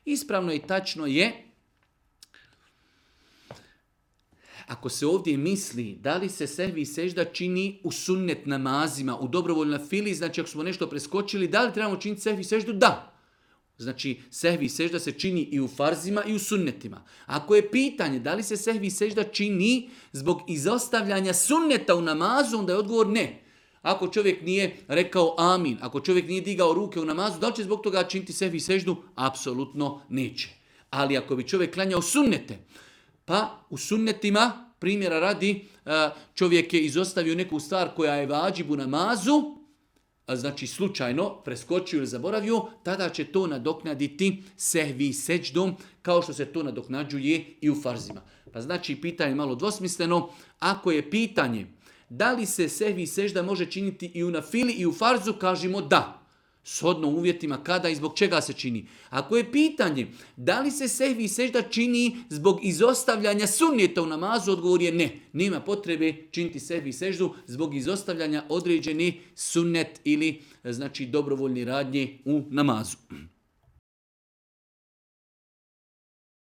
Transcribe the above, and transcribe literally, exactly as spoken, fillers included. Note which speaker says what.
Speaker 1: Ispravno i tačno je, ako se ovdje misli da li se sehvi i sežda čini u sunnet namazima, u dobrovoljnoj fili, znači ako smo nešto preskočili, da li trebamo činiti sehvi i seždu? Da. Znači, sehvi i sežda se čini i u farzima i u sunnetima. Ako je pitanje da li se sehvi i sežda čini zbog izostavljanja sunneta u namazu, onda je odgovor ne. Ako čovjek nije rekao amin, ako čovjek nije digao ruke u namazu, da li će zbog toga činiti sehvi i seždu? Apsolutno neće. Ali ako bi čovjek klanjao sunnete, pa u sunnetima, primjera radi, čovjek je izostavio neku stvar koja je vađib u namazu, znači slučajno preskočio ili zaboravio, tada će to nadoknaditi sehvi seđdom, kao što se to nadoknađuje i u farzima. Pa znači pitanje malo dvosmisleno, ako je pitanje da li se sehvi sežda može činiti i u nafili i u farzu, kažemo da. Shodno uvjetima kada i zbog čega se čini. Ako je pitanje da li se sehvi i sežda čini zbog izostavljanja sunneta u namazu, odgovor je ne. Nema potrebe činiti sehvi i seždu zbog izostavljanja određeni sunnet ili znači dobrovoljni radnje u namazu.